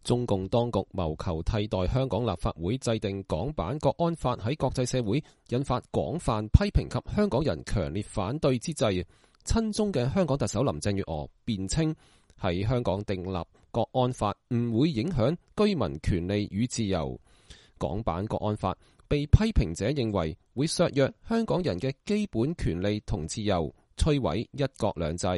中共當局謀求替代香港立法會制定港版國安法喺國際社會引發廣泛批評及香港人強烈反對之際，親中嘅香港特首林鄭月娥辯稱喺香港訂立國安法唔會影響居民權利與自由。港版國安法被批評者認為會削弱香港人嘅基本權利同自由，摧毀一國兩制。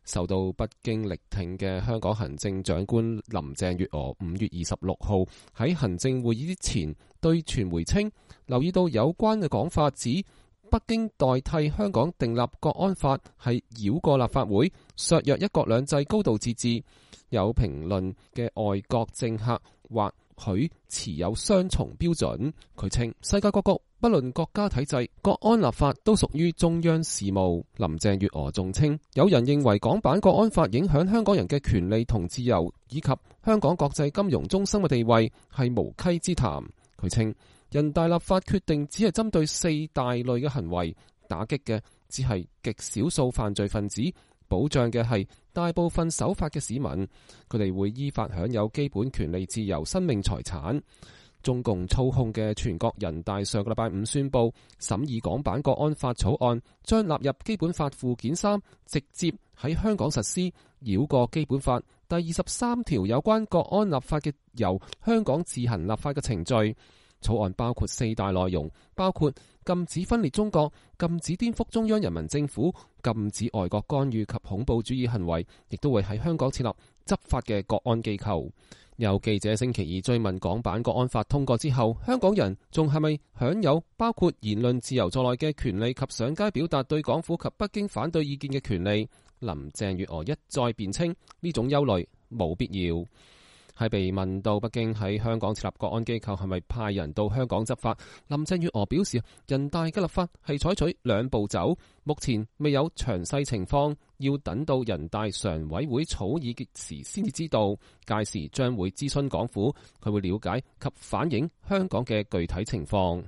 受到北京力挺嘅香港行政長官林鄭月娥5月26號喺行政會議之前對傳媒稱，留意到有關嘅講法指北京代替香港訂立國安法係繞過立法會，削弱一國兩制高度自治。有評論嘅外國政客或許持有雙重標準。佢稱世界各國不論國家體制，國安立法都屬於中央事務。林鄭月娥仲稱，有人認為港版國安法影響香港人嘅權利同自由，以及香港國際金融中心嘅地位，係無稽之談。佢稱人大立法決定只係針對4大類嘅行為，打擊嘅只係極少數犯罪分子，保障嘅係大部分守法嘅市民，佢哋會依法享有基本權利、自由、生命、財產。中共操控嘅全國人大上個禮拜5宣布審議港版國安法草案，將納入基本法附件3，直接喺香港實施，繞過基本法第23條有關國安立法嘅由香港自行立法嘅程序。草案包括4大內容，包括禁止分裂中國、禁止顛覆中央人民政府、禁止外國干預及恐怖主義行為，亦都會喺香港設立執法嘅國安機構。有記者星期二追問港版國安法通過之後，香港人仲係咪享有包括言論自由在內嘅權利及上街表達對港府及北京反對意見嘅權利？林鄭月娥一再辯稱呢種憂慮冇必要。係被問到北京喺香港設立國安機構係咪派人到香港執法，林鄭月娥表示，人大嘅立法係採取2步走，目前未有詳細情況，要等到人大常委會草擬嘅時先至知道，屆時將會諮詢港府，佢會了解及反映香港嘅具體情況。